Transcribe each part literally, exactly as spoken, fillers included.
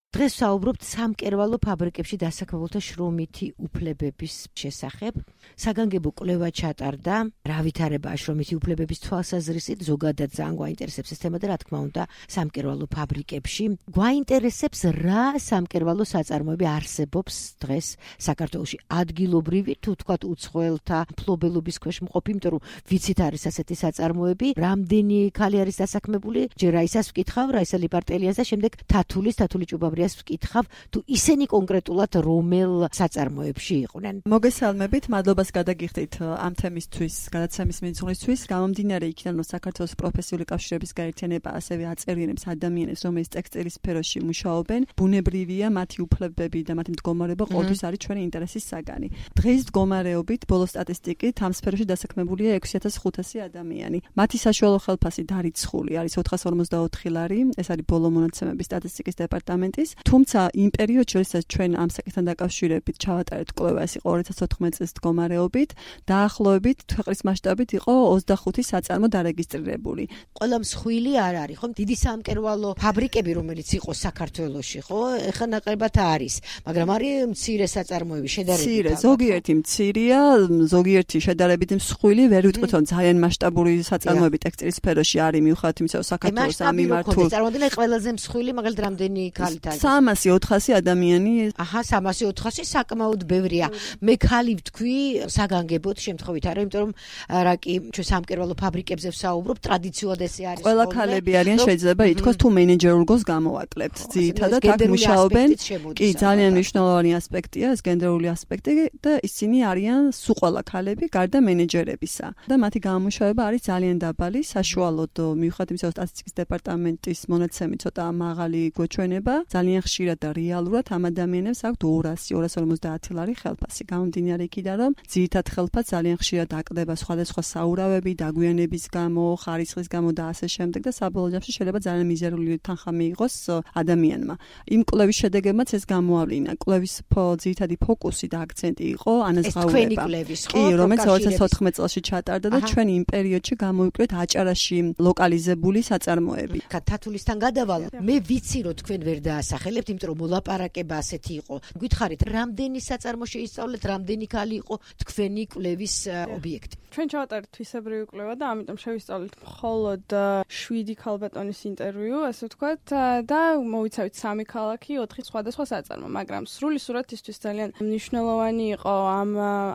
დღეს საუბრობთ სამკერვალო ფაბრიკებში დასაქმებულთა შრომითი უფლებების შესახებ. საგანგებო კვლევა ჩატარდა, რა ვითარებაა შრომითი უფლებების თვალსაზრისით, ზოგადად ძალიან გვაინტერესებს ეს თემა და რა თქმა უნდა, სამკერვალო ფაბრიკებში. გვაინტერესებს რა სამკერვალო საწარმოები არსებობს დღეს საქართველოში. ადგილობრივი თუ თქვათ უცხოელთა მფლობელობის ქვეშ მყოფი, იმიტომ რომ ვიცით არის ასეთი საწარმოები, რამდენი ქალი არის დასაქმებული, ჯერ რაისას ვკითხავ, რაისა ლიპარტელიას და შემდეგ თათულის, თათული ჭუბაბრიას ვკითხავ, თუ ისინი კონკრეტულად რომელ საწარმოებში იყვნენ. მოგესალმებით, მადლობას გადაგიხდით ამ თემისთვის, გადაცემის მიძღვნისთვის. გამომდინარე იქიდან, რომ საქართველოს პროფესიული კავშირების გაერთიანება ასევე აწერიებს ადამიანებს, რომელიც ტექსტილის სფეროში მუშაობენ, ბუნებრივია მათი უფლებები და მათი მდგომარეობა ყოველთვის არის ჩვენი ინტერესის საგანი. დღეს მდგომარეობით ბოლო სტატისტიკით ამ სფეროში დასაქმებულია ექვსი ათას ხუთასი ადამიანი. მათი საშუალო ხელფასი დარიცხული არის ოთხას ორმოცდაოთხი ლარი, ეს არის ბოლო მონაცემების სტატისტიკის დეპარტამენტის. თუმცა იმ პერიოდში, როდესაც ჩვენ ამ საკითხთან დაკავშირებით ჩავატარეთ კვლევა, ეს იყო ორი ათას ოთხმეტ წლის მდგომარეობით, დაახლოებით ქვეყნის მასშტაბით იყო ოცდახუთი საწარმო დარეგისტრირებული. ყველა მსხვილი არ არის, ხო? დიდი სამკერვალო ფაბრიკები, რომელიც იყო საქართველოში, ხო? ეხლა ნაკლებად არის, მაგრამ არის მცირე საწარმოები, შედარებით. მცირე, ზოგიერთი მცირეა, ზოგიერთი შედარებით მსხვილი, ვერ ვიტყვით, რომ ძალიან მასშტაბური საწარმოები ტექსტილის სფეროში არის, მიუხედავად იმისა, რომ საქართველოს ამ მიმართულ წარმოვიდგინე ყველაზე მსხვილი, მაგალითად რამდენი ქალით არის? სამასი ოთხასი ადამიანი. აჰა, სამასი ოთხასი საკმაოდ ბევრია. მე ქალი ვთქვი საგანგებოდ შემთხვევით არა, იმიტომ რომ რა კი ჩვენ სამკერვალო ფაბრიკებზე ვსაუბრობ, ტრადიციულად ესე არის. ყველა ქალები არიან, შეიძლება ითქვას, თუ მენეჯერულ რგოლს გამოვაკლებთ. ძირითადად აქ მუშაობენ. კი, ძალიან მნიშვნელოვანი ასპექტია ეს გენდერული ასპექტი და ისინი არიან სულ ყველა ქალები, გარდა მენეჯერებისა. და მათი გამომუშავება არის ძალიან დაბალი, საშუალოდ მიუხედავად იმისა, რომ სტატისტიკის დეპარტამენტის მონაცემი ცოტა მაღალი გვეჩვენება, ძალიან ხშირად და რეალურად ამ ადამიანებს აქვთ ორასი ორას ორმოცდაათი ლარი ხელფასი. გამომდინარე იქიდან, რომ ძირითად ხელფასს ძალიან ხშირად აკლდება სხვადასხვა საურავები, დაგვიანების გამო, ხარისხის გამო და ასე შემდეგ და საბოლოო ჯამში შეიძლება ძალიან მიზერული თანხა მიიღოს ადამიანმა. იმ კვლევის შედეგებმაც ეს გამოავლინა. კვლევის ძირითადი ფოკუსი და აქცენტი იყო ანაზღაურება. კი, რომელიც ორი ათას ოთხმეტ წელს ჩატარდა და ჩვენ იმ პერიოდში გამოვიკვეთ აჭარაში ლოკალიზებული საწარმოები. თათულისთან გადავალ, მე ვიცი რომ თქვენ ვერ დაასახელებთ, იმიტომ რომ მოლაპარაკება ასეთი იყო. გითხარით, რამდენი საწარმო შეისწავლეთ, რამდენი ქალი იყო თქვენი კვლევის ობიექტი? ჩვენ ჩავატარეთ თვისებრივი კვლევა და ამიტომ შევისწავლეთ მხოლოდ შვიდი ქალბატონის ინტერვიუ, ასე ვთქვათ, და მოვიცავით სამი ქალაქი, ოთხი სხვადასხვა საწარმო, მაგრამ სრული სურათისთვის ძალიან მნიშვნელოვანი იყო ამ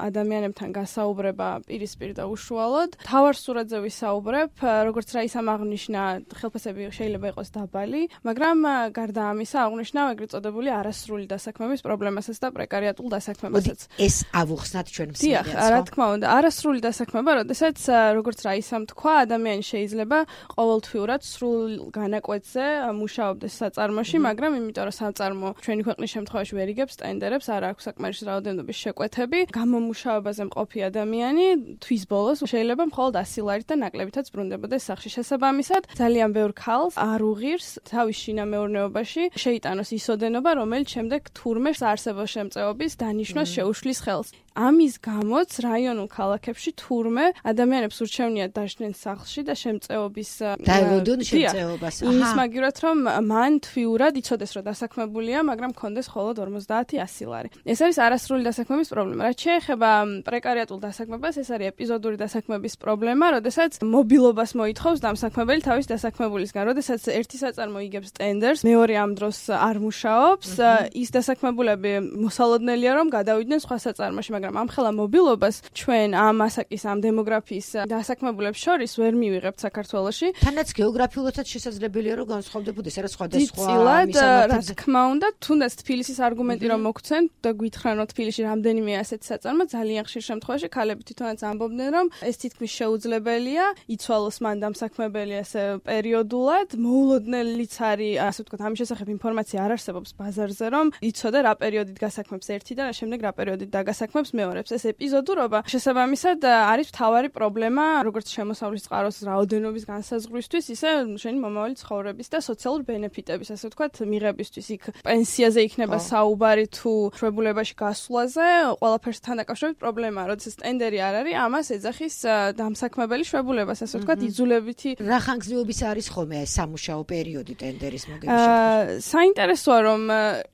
ადამიანებთან გასაუბრება პირისპირ და უშუალოდ. თავარ სურათზე ვისაუბრებ, როგორც რაისამ აღნიშნა, ხელფასები შეიძლება იყოს დაბალი, მაგრამ გარდა ამისა აღნიშნა ეგრეთ წოდებული არასრული დასაქმების პრობლემასაც და პრეკარიატულ დასაქმებასაც. ეს ავუხსნათ ჩვენ მსმენელს. დიახ, რა თქმა უნდა, არასრული დასაქმება, როდესაც როგორც რაისამ თქვა, ადამიანი შეიძლება ყოველთვიურად სრულ განაკვეთზე მუშაობდეს საწარმოში, მაგრამ იმიტომ რომ საწარმო ჩვენი ქვეყნის შემთხვევაში ვერ იგებს ტენდერებს, არ აქვს საკმარისი რაოდენობის შეკვეთები, გამომუშავებაზე მყოფი ადამიანი თვის ბოლოს შეიძლება მხოლოდ ასი ლარით და ნაკლებითაც ბრუნდებოდეს სახში. შესაბამისად, ძალიან ბევრ ქალს არ უღირს თავის შინამეურნეობაში შეიტანოს ის ოდენობა, რომელიც შემდეგ თურმე საარსებო შემწეობის დანიშვნას შეუშლის ხელს. ამის გამოც რაიონულ ქალაქებში თურმე ადამიანებს ურჩევნიათ დაშვნენ სახლში და შემწეობის დაევოდონ შემწეობას. იმის მაგივრად, რომ მან თვიურად იცოდეს, რომ დასაქმებულია, მაგრამ კონდეს მხოლოდ ორმოცდაათი ასი ლარი. ეს არის არასრული დასაქმების პრობლემა. რაც შეეხება პრეკარიატულ დასაქმებას, ეს არის ეპიზოდური დასაქმების პრობლემა, როდესაც მობილობას მოითხოვს დამსაქმებელი თავის დასაქმებულისგან. როდესაც ერთი საწარმო იგებს ტენდერს, მეორე ამ დროს არ მუშაობს, ის დასაქმებულები მოსალოდნელია, რომ გადავიდნენ სხვა საწარმოში, მაგრამ ამ ხელა მობილობას ჩვენ ამ ასაკის ამ დემოგრაფიის დასაქმებულებს შორის ვერ მივიღებთ საქართველოში. თანაც გეოგრაფიულადაც შესაძლებელია რომ განსხვავდებოდეს არა სხვადასხვა მისამართებზე. რა თქმა უნდა, თუნდაც თბილისის არგუმენტი რომ მოგცენ და გითხრან რომ თბილისში რამდენიმე ასეთი საწარმო, ძალიან ხშირ შემთხვევაში ქალები თვითონაც ამბობდნენ რომ ეს თითქმის შეუძლებელია, იცვალოს მან დამსაქმებელი ასე პერიოდულად, მოულოდნელიც არის, ასე ვთქვათ, ამის შესახებ ინფორმაცია არ არსებობს ბაზარზე, რომ იცოდე რა პერიოდით გასაქმებს ერთი და რა შემდეგ რა პერიოდით დაგასაქმებს მეორებს. ეს ეპიზოდურობა შესაბამისად არის მთავარი პრობლემა, როგორც შემოსავლის წყაროს რაოდენობის განსაზღვრისთვის, ისე შენი მომავალი ცხოვრების და სოციალური ბენეფიტების, ასე ვთქვათ, მიღებისთვის. იქ პენსიაზე იქნება საუბარი თუ შვებულებაში გასვლაზე, ყველაფერსთან დაკავშირებით პრობლემაა, როდესაც ტენდერი არ არის, ამას ეძახის დამსაქმებელი შვებულებას, ასე ვთქვათ, იძულებითი. რა ხანგრძლივობის არის ხოლმე ეს სამუშაო პერიოდი ტენდერის მოგების შემთხვევაში? საინტერესოა რომ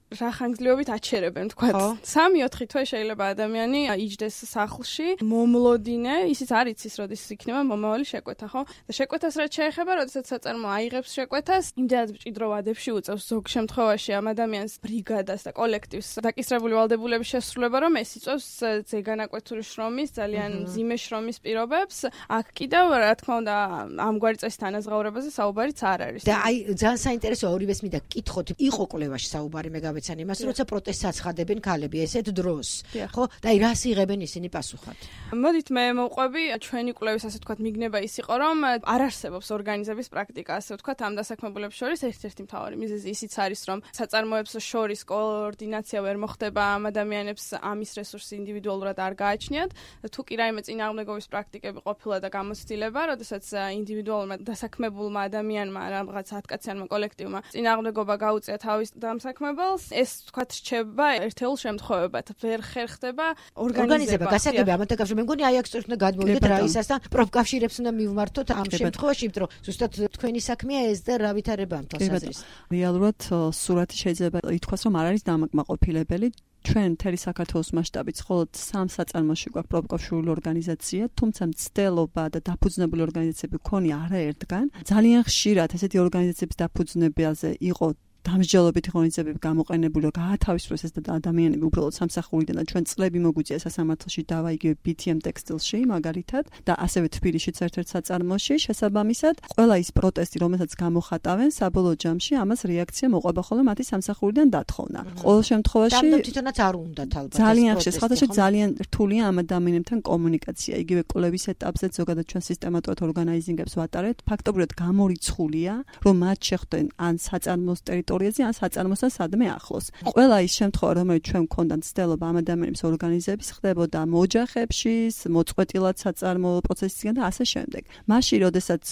რა ხანგრძლივობით აჩერებენ თქვა სამი ოთხი თვე შეიძლება ადამიანი იჯდეს სახლში მომლოდინე ისიც არ იცის როდის იქნება მომავალი შეკვეთა ხო და შეკვეთას რაც შეეხება როდესაც საწარმო აიღებს შეკვეთას იმდენად მჭიდრო ვადებში უწევს ზოგ შემთხვევაში ამ ადამიანს ბრიგადას და კოლექტივს დაკისრებული ვალდებულების შესრულება რომ ეს იწევს ზეგანაკვეთური შრომის ძალიან მძიმე შრომის პირობებს აქ კიდევ რა თქმა უნდა ამგვარი წესის თანაზღაურებაზე საუბარიც არ არის და აი ძალიან საინტერესოა ორივეს მინდა გკითხოთ იყო კვლევაში საუბარი მე გავეცანი იმას როცა პროტესტს აცხადებენ ქალები ესეთ დროს ხო და აი რას იღებენ ისინი პასუხად მოდით მე მოვყვები ჩვენი კვლევის ასე ვთქვათ მიგნება ის იყო რომ არ არსებობს ორგანიზების პრაქტიკა ასე ვთქვათ ამ დასაქმებულებს შორის ერთ-ერთი მთავარი მიზეზი ისიც არის რომ საწარმოებს შორის კოორდინაცია ვერ მოხდება ამ ადამიანებს ამის რესურსი ინდივიდუალურად არ გააჩნიათ თუ კი რაიმე წინააღმდეგობის პრაქტიკები ყოფილა და გამოცდილება როდესაც ინდივიდუალურმა დასაქმებულმა ადამიანმა რაღაც ათკაციანმა კოლექტივმა წინააღმდეგობა გაუწია თავის დამსაქმებელს ეს თქვათ რჩება ერთეულ შემთხვევებად ვერ ხერხდება ორგანიზება გასაგებია ამათა კავშირი მე მგონი აი აქ სწორედ უნდა გადმოვიდეთ რაისას და პროფკავშირებს უნდა მივმართოთ ამ შემთხვევაში იმიტომ რომ ზუსტად თქვენი საქმეა ეს და რა ვითარება ამ თვალსაზრისით რეალურად სურათი შეიძლება ითქვას რომ არ არის დამაკმაყოფილებელი ჩვენ მთელი საქართველოს მასშტაბით მხოლოდ სამ საწარმოში გვაქვს პროფკავშირული ორგანიზაცია, თუმცა მცდელობა და დაფუძნებული ორგანიზაციები ქონია არაერთგან. ძალიან ხშირად ესეთი ორგანიზაციების დაფუძნებაზე იყო დამსჯელობითი ღონისძიებები გამოყენებული, რომ გაათავისუფლოს ეს ადამიანები უბრალოდ სამსახურიდან და ჩვენ წლები მოგვიწია სასამართლოში დავა იგივე ბი თი ემ ტექსტილში მაგალითად და ასევე თბილისშიც ერთ-ერთ საწარმოში შესაბამისად ყველა ის პროტესტი რომელსაც გამოხატავენ საბოლოო ჯამში ამას რეაქცია მოყვება ხოლმე მათი სამსახურიდან დათხოვნა. ყოველ შემთხვევაში და თვითონაც არ უნდათ ალბათ ძალიან ხშირად ხალხში ძალიან რთულია ამ ადამიანებთან კომუნიკაცია იგივე კვლევის ეტაპზე ზოგადად ჩვენ სისტემატურად ორგანიზინგებს ვატარებთ ფაქტობრივად გამორიცხულია რომ მათ შეხვდნენ ან საწარმოს ტერიტორიაზე ან საწარმოსთან სადმე ახლოს. ყველა ის შემთხვევა რომელიც ჩვენ გქონდათ ცდელობა ამ ადამიანების ორგანიზების ხდებოდა მოჯახებში, მოწყვეტილად საწარმო პროცესისგან და ასე შემდეგ. მაშინ როდესაც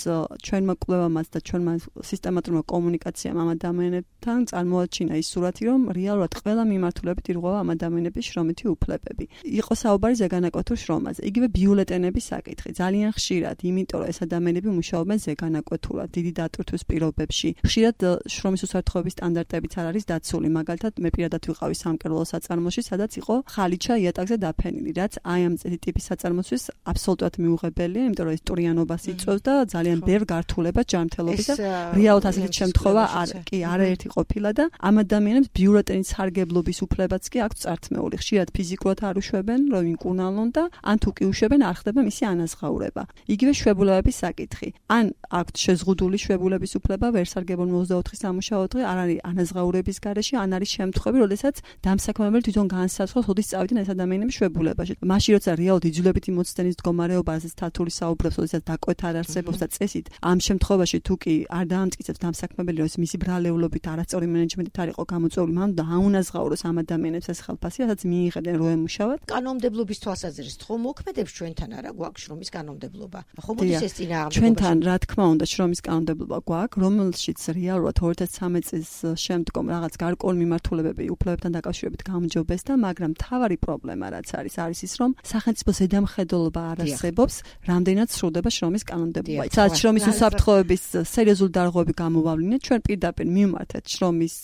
ჩვენმა კვლევამაც და ჩვენმა სისტემატურმა კომუნიკაციამ ამ ადამიანებთან წარმოაჩინა ის სურათი რომ რეალურად ყველა მიმართულებით ირღვევა ამ ადამიანების შრომითი უფლებები. იყო საუბარი ზეგანაკვეთურ შრომაზე. იგივე ბიულეტენების საკითხი. ძალიან ხშირად, იმიტომ რომ ეს ადამიანები მუშაობენ ზეგანაკვეთურად, დიდი დატვირთვის პირობებში. ხშირად შრომის უსაფრთხოების სტანდარტებიც არ არის დაცული. მაგალითად, მე პირადად ვიყავი სამკერვალო საწარმოში, სადაც იყო ხალიჩა იატაკზე დაფენილი, რაც აი ამ ტიპის საწარმოსთვის აბსოლუტურად მიუღებელია, იმიტომ რომ ეს ტურიანობას იწვევს და ძალიან ბევრ გართულებას ჯანმრთელობის და რეალურად ასეთი შემთხვევა არ კი არაერთი ყოფილა და ამ ადამიანებს ბიულეტენის სარგებლობის უფლებაც კი აქვს წართმეული. ხშირად ფიზიკურად არ უშვებენ, რომ იმკურნალონ და ან თუ კი უშვებენ, არ ხდება მისი ანაზღაურება. იგივე შვებულებების საკითხი. ან აქვთ შეზღუდული შვებულების უფლება, ვერ სარგებლობენ ოცდაოთხი სამუშაო დღე, არ არის ანაზღაურების გარეშე, ან არის შემთხვევები, როდესაც დამსაქმებელი თვითონ განსაცდელს, როდის წავიდნენ ეს ადამიანები შვებულებაში. მაშინ როცა რეალურად იძულებითი მოცდენის მდგომარეობაზე თათული საუბრობს, როდესაც დაკვეთა არ არსებობს და წესით, ამ შემთხვევაში თუ კი არ დაამტკიცებს დამსაქმებელი, რომ მისი ბრალეულობით არასწორი მენეჯმენტით არ იყო გამოწვეული, მან და აუნაზღაუროს ამ ადამიანებს ეს ხელფასი, რასაც მიიღებდნენ რო ემუშავათ. კანონმდებლობის თვალსაზრისით ხომ მოქმედებს ჩვენთან არა გვაქვს შრომის კანონმდებლობა? ხომ მოდის ეს წინააღმდეგობა? ჩვენთან რა თქმა უნდა შრომის კანონმდებლობა გვაქვს, რომელშიც რეალურად ორი ათას ცხრამეტ წლის შემდგომ რაღაც გარკვეული მიმართულებები უფლებებთან დაკავშირებით გამჯობესდა, მაგრამ მთავარი პრობლემა რაც არის, არის ის, რომ სახელმწიფო ზედამხედველობა არ არსებობს, რამდენად სრულდება შრომის კანონმდებლობა. სადაც შრომის უსაფრთხოების სერიოზული დარღვევები გამოვავლინეთ, ჩვენ პირდაპირ მივმართეთ შრომის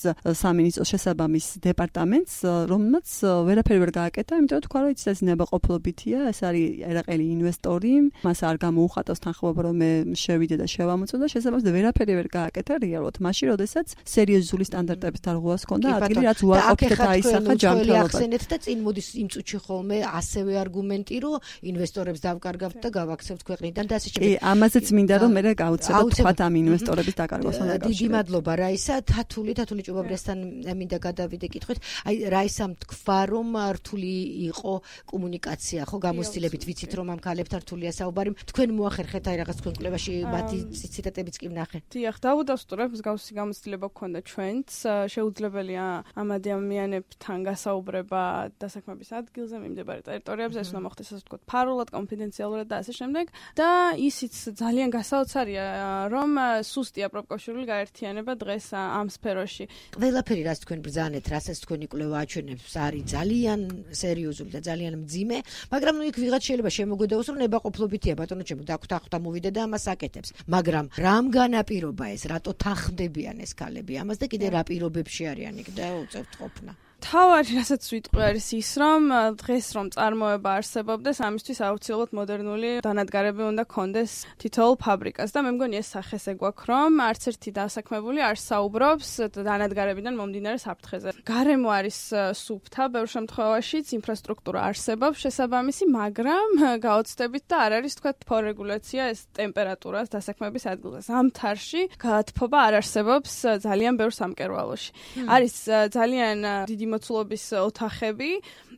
სამინისტროს შესაბამის დეპარტამენტს, რომელმაც ვერაფერი ვერ გააკეთა, იმიტომ რომ თქვა, რომ ის ნებაყოფლობითია, ეს არის ერაყელი ინვესტორი, მას არ გამოუხატავს თანხმობა, რომ მე შევიდე და შევამოწმო და შესაბამისად ვერაფერი ვერ გააკეთა რეალურად. მაშინ, როდესაც სერიოზული სტანდარტების დარღვევას ჰქონდა, ადგილი რაც უარყოფით აისახა ჯანმრთელობას. ახსენეთ და წინ მოდის იმ წუთში ხოლმე ასევე არგუმენტი, რომ ინვესტორებს დავკარგავთ და გავაქცევთ ქვეყნიდან და ასე შემდეგ. კი, ამაზეც მინდა რომ მე გავუცებოთ თქვათ ამ ინვესტორების დაკარგვასთან დაკავშირებით. დიდი მადლობა რაისა, თათული, თათული ჭუბაბრიასთან მინდა გადავიდე კითხვით. აი რაისამ თქვა რომ რთული იყო კომუნიკაცია, ხო გამოცდილებით ვიცით რომ ამ ქალებთან რთულია საუბარი. თქვენ მოახერხეთ აი რაღაც თქვენ კვლევაში მათი ციტატებიც კი ვნახე. დიახ, დავუდასტურებ, მსგავსი გამოცდილება გქონდა ჩვენც. შეუძლებელია ამ ადამიანებთან გასაუბრება დასაქმების ადგილზე, მიმდებარე ტერიტორიებზე, ეს უნდა მოხდეს ასე ვთქვათ, ფარულად, კონფიდენციალურად და ასე შემდეგ. და ისიც ძალიან გასაოცარია, რომ სუსტია პროფკავშირული გაერთიანება დღეს ამ სფეროში. ყველაფერი რაც თქვენ ბრძანეთ, რასაც თქვენი კვლევა აჩვენებს, არის ძალიან სერიოზული და ძალიან მძიმე, მაგრამ ნუ იქ ვიღაც შეიძლება შემოგვედაოს, რომ ნებაყოფლობითია, ბატონო ჩემო, დაგვთანხმდა მოვიდე და ამას აკეთებს. მაგრამ რამ განაპირობა ეს, რატო თანხმდებიან ეს ქალები? ამას ამას და კიდე რა პირობებში არიან იქ და უწევთ ყოფნა. თავარი რასაც ვიტყვი არის ის, რომ დღეს რომ წარმოება არსებობდეს, ამისთვის აუცილებლად მოდერნული დანადგარები უნდა კონდეს თითოეულ ფაბრიკას და მე მგონი ეს სახეს ეგვაქვს, რომ არც ერთი დასაქმებული არ საუბრობს დანადგარებიდან მომდინარე საფრთხეზე. გარემო არის სუფთა, ბევრ შემთხვევაშიც ინფრასტრუქტურა არსებობს შესაბამისი, მაგრამ გაოცდებით და არ არის თქვა თბორეგულაცია ეს ტემპერატურას დასაქმების ადგილზე. ზამთარში გათბობა არ არსებობს ძალიან ბევრ სამკერვალოში. არის ძალიან დიდი მოცულობის ოთახები,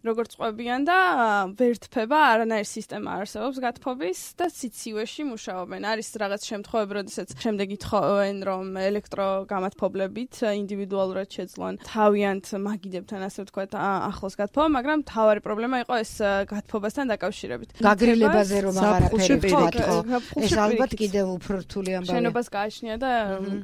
როგორც ყვებიან და ვერთფება, არანაირი სისტემა არსებობს გათბობის და სიცივეში მუშაობენ. არის რაღაც შემთხვევები, როდესაც შემდეგ ითხოვენ, რომ ელექტროგამათბობლებით ინდივიდუალურად შეძლონ თავიანთ მაგიდებთან, ასე ვთქვათ, ახლოს გათბობა, მაგრამ თავარი პრობლემა იყო ეს გათბობასთან დაკავშირებით. გაგრილებაზე რომ აღარაფერი ვთქვა. ეს ალბათ კიდევ უფრო რთული ამბავია. შენობას გააჩნია და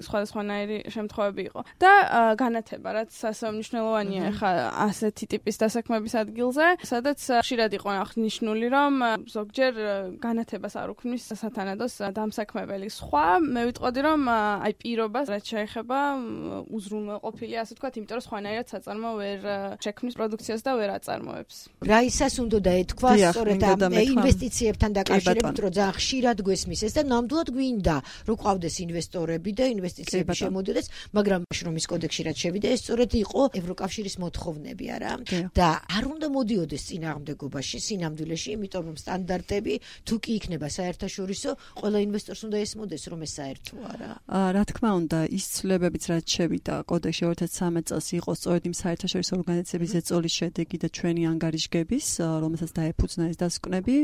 სხვადასხვანაირი შემთხვევები იყო. და განათება, რაც ასე მნიშვნელოვანია ხა ასეთი ტიპის დასაქმების ადგილზე, სადაც ხშირად იყო აღნიშნული, რომ ზოგჯერ განათებას არ უქმნის სათანადოს დამსაქმებელი. სხვა მე ვიტყოდი, რომ აი პირობას რაც შეეხება უზრუნველყოფილია, ასე ვთქვათ, იმიტომ რომ სხვანაირად საწარმო ვერ შექმნის პროდუქციას და ვერ აწარმოებს. რაისას უნდა დაეთქვა სწორედ ამ ინვესტიციებთან დაკავშირებით, რომ ძალიან ხშირად გვესმის ეს და ნამდვილად გვინდა, რომ ყავდეს ინვესტორები და ინვესტიციები შემოდიოდეს, მაგრამ შრომის კოდექსში რაც შევიდა, ეს სწორედ იყო ევროკავშირის მოთხოვნები, არა? და არ უნდა მოდიოდეს წინააღმდეგობაში, სინამდვილეში, იმიტომ რომ სტანდარტები თუ კი იქნება საერთაშორისო, ყველა ინვესტორს უნდა ესმოდეს, რომ ეს საერთოა რა. რა თქმა უნდა, ის ცვლილებებიც რაც შევიდა კოდექსში ორი ათას ცხრამეტ წელს იყო სწორედ იმ საერთაშორისო ორგანიზაციების ზეწოლის შედეგი და ჩვენი ანგარიშგების, რომელსაც დაეფუძნა ეს დასკვნები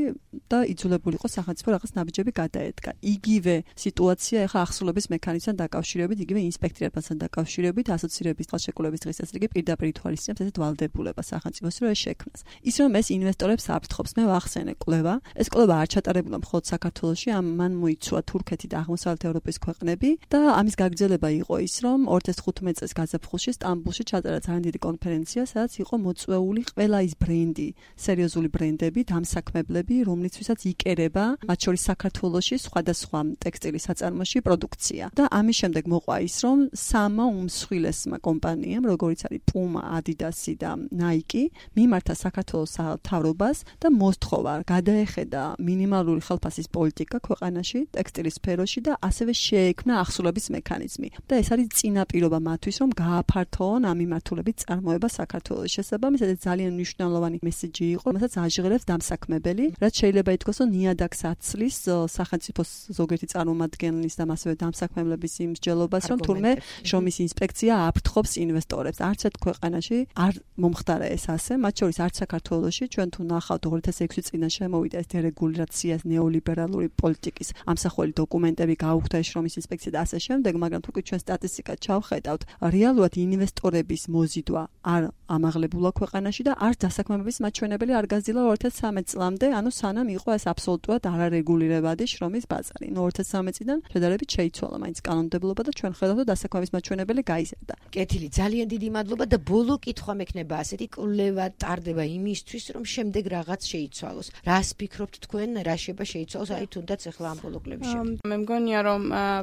და იძულებული იყო სახელმწიფო რაღაც ნაბიჯები გადაედგა. იგივე სიტუაცია ახლა ახსოვების მექანიზმთან დაკავშირებით, იგივე ინსპექტირებასთან დაკავშირებით, ასოცირების ხელშეკრულების დღის წესრიგი პირდაპირ ითვალისწინებს ესეთ ვალდებულებას სახელმწიფოს, რომ ეს შექმნას. ის რომ ეს ინვესტორებს აფრთხობს, მე ვახსენე კვლევა. ეს კვლევა არ ჩატარებულა მხოლოდ საქართველოში, ამან მოიცვა თურქეთი და აღმოსავლეთ ევროპის ქვეყნები და ამის გაგრძელება იყო ის, რომ ორი ათას თხუთმეტ წელს გაზაფხულში სტამბულში ჩატარა ძალიან დიდი კონფერენცია, სადაც იყო მოწვეული ყველა ის ბრენდი, სერიოზული ბრენდები, დამსაქმებლები, რომლისთვისაც იკერება, მათ შორის საქართველოში სხვადასხვა ტექსტილის საწარმოში პროდუქცია. და ამის შემდეგ მოყვა ის, რომ სამა უმსხვილესმა კომპანიამ, როგორიც არის პუმა, ადიდასი და ნაიკი, მიმართა საქართველოს მთავრობას და მოსთხოვა გადაეხედა მინიმალური ხელფასის პოლიტიკა ქვეყანაში, ტექსტილის სფეროში და ასევე შეექმნა ახსოვების მექანიზმი. და ეს არის წინაპირობა მათთვის, რომ გააფართოონ ამ მიმართულებით წარმოება საქართველოს. შესაბამისად, ეს ძალიან მნიშვნელოვანი მესიჯი იყო, რომელსაც აჟღერებს დამსაქმებელი, რაც შეიძლება ითქვას, რომ ნიადაგს აცლის სახელმწიფოს ზოგიერთი წარმომადგენლის და ასევე დამსაქმებლების იმ მსჯელობას, რომ თურმე შრომის ინსპექცია აფრთხობს ინვესტორებს. არც ერთ ქვეყანაში არ მომხდარა ეს ასე, მათ შორის არც საქართველოში, ჩვენ თუ ნახავთ ორი ათას ექვსი წინა შემოვიდა ეს დერეგულაციას, ნეოლიბერალური პოლიტიკის ამსახველი დოკუმენტები, გაუხდა ეს შრომის ინსპექცია და ასე შემდეგ, მაგრამ თუ კი ჩვენ სტატისტიკა ჩავხედავთ, რეალურად ინვესტორების მოზიდვა არ ამაღლებულა ქვეყანაში და არც დასაქმებების მაჩვენებელი არ გაზრდილა ორი ათას ცხრამეტ წლამდე, ანუ სანამ იყო ეს აბსოლუტურად არარეგულირებადი შრომის ბაზარი. ნუ ორი ათას ცხრამეტ წლიდან შედარებით შეიცვალა მაინც კანონმდებლობა და ჩვენ ხედავთ, რომ დასაქმების მაჩვენებელი გაიზარდა. კეთილი, ძალიან დიდი მადლობა და ბოლო კითხვა მექნება ასეთი კვლევა ტარდება იმისთვის, რომ შემდეგ რაღაც შეიცვალოს. რას ფიქრობთ თქვენ, რა შეიძლება შეიცვალოს, აი თუნდაც ახლა ამ ბოლო კვლევაში? მე მგონია, რომ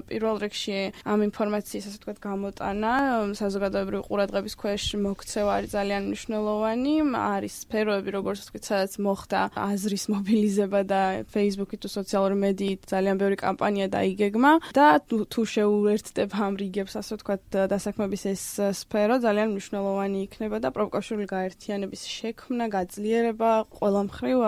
პირველ რიგში ამ ინფორმაციის, ასე ვთქვათ, გამოტანა საზოგადოებრივი ყურადღების ქვეშ მოქცევა არის ძალიან მნიშვნელოვანი. არის სფეროები, როგორც ვთქვით, სადაც მოხდა აზრის მობილიზება და Facebook-ით თუ სოციალური მედიით ძალიან ბევრი კამპანია დაიგეგმა და თუ შეუერთდება ამ რიგებს, ასე ვთქვათ, დასაქმების ეს სფერო ძალიან მნიშვნელოვანი იქნება და პროფკავშირული გაერთიანების შექმნა, გაძლიერება ყველა მხრივ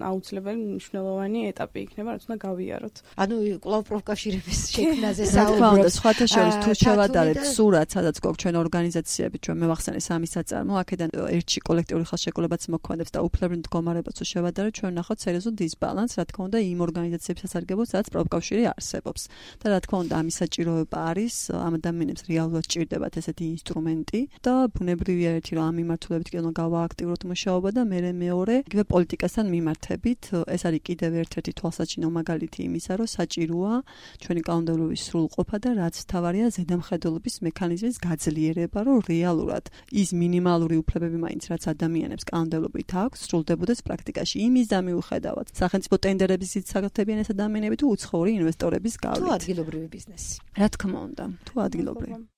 აუცილებელი მნიშვნელოვანი ეტაპი იქნება, რაც უნდა გავიაროთ. ანუ კვლავ პროფკავშირების შექმნაზე საუბრობთ. სხვათა შორის თუ შევადარებთ სურათს, სადაც გვაქვს ჩვენ ორგანიზაციები, ჩვენ მევახსენე სამი საწარმო, აქედან ერთში კოლექტიური ხელშეკრულებაც მოქმედებს და უფლებრივ მდგომარეობას თუ შევადარებთ, ჩვენ ვნახავთ სერიოზულ დისბალანსს, რა თქმა უნდა, იმ ორგანიზაციების სასარგებლოდ, სადაც პროფკავშირი არსებობს. და რა თქმა უნდა, ამის საჭიროება არის, ამ ადამიანებს რეალურად ჭირდებათ ესეთი ინსტრუმენტი და ბუნებრივია ერთი, რომ ამ მიმართულებით კი უნდა გავააქტიუროთ მუშაობა და მე მეორე, იგივე პოლიტიკასთან მიმართებით, ეს არის კიდევ ერთ-ერთი თვალსაჩინო მაგალითი იმისა, რომ საჭიროა ჩვენი კანონმდებლობის სრულყოფა და რაც თავარია ზედამხედველობის მექანიზმის გაძლიერება, რომ რეალურად ის მინიმალური უფლებები მაინც რაც ადამიანებს კანონმდებლობით აქვს, სრულდებოდეს პრაქტიკაში. იმის და მიუხედავად, სახელმწიფო ტენდერების იცავდებიან ეს ადამიანები თუ უცხოური ინვესტორების გავლით. თუ ადგილობრივი ბიზნესი. რა თქმა უნდა, თუ ადგილობრივი